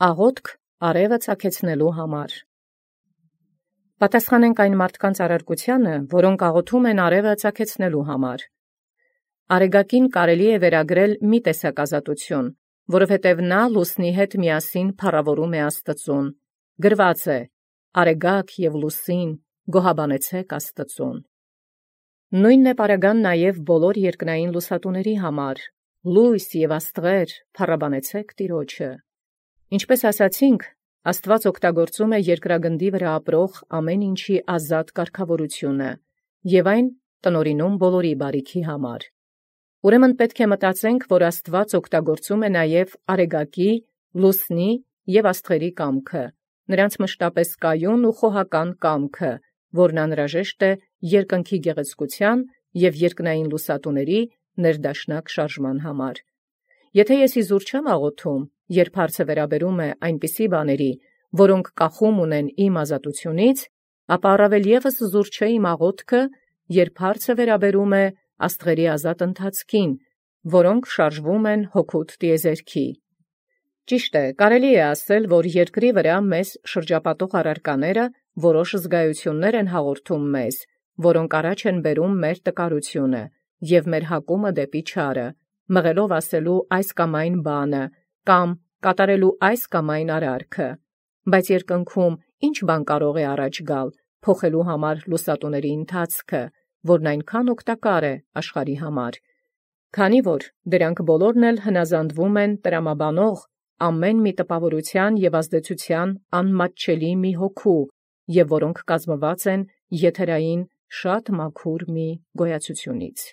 Աղոթք արևը ծագեցնելու համար։ Պատասխանենք այն մարդկանց արարքությանը, որոնք աղոթում են արևը ծագեցնելու համար։ Արեգակին կարելի է վերագրել մի տեսակ ազատություն, որովհետև նա լուսնի հետ միասին փառավորում է Աստծուն։ Գրված է. «Արեգակ և լուսին գոհաբանեցեք Աստծուն»։ Նույնն է պարագան նաև բոլոր երկնային լուսատուների համար. «Լույս և աստղեր, փառաբանեցեք Տիրոջը»։ Ինչպես ասացինք, Աստված օգտագործում է երկրագնդի վրա ապրող ամեն ինչի ազատ կարգավորությունը, և այն տնօրինում բոլորի բարիքի համար։ Ուրեմն պետք է մտածենք, որ Աստված օգտագործում է նաև արեգակի, լուսնի և աստղերի կամքը, նրանց մշտապես կայուն ու խոհական կամքը, որն անհրաժեշտ է երկնքի գեղեցկության և երկնային լուսատուների ներդաշնակ շարժման համար։ Եթե ես իզուր չեմ աղոթում, երբ հարցը վերաբերում է այնպիսի բաների, որոնք կախում ունեն իմ ազատությունից, ապա առավել ևս զուր չէ իմ աղոթքը, երբ հարցը վերաբերում է աստղերի ազատ ընթացքին, որոնք շարժվում են հոգուտ տիեզերքի։ Ճիշտ է, կարելի է ասել, որ երկրի վրա մեզ շրջապատող առարկաները որոշ զգայություններ են հաղորդում մեզ, որոնք առաջ են բերում մեր տկարությունը և մեր հակումը դեպի չարը, մղելով ասելու այս կամ այն բանը, կամ կատարելու այս կամ այն արարքը։ Բայց երկնքում ինչ բան կարող է առաջ գալ, փոխելու համար լուսատուների ընթացքը, որն այնքան օգտակար է աշխարհի համար, քանի որ դրանք բոլորն էլ հնազանդվում են տրամաբանող ամեն մի տպավորության և ազդեցության անմատչելի մի հոգու, և որոնք կազմված են եթերային շատ մաքուր մի գոյացությունից։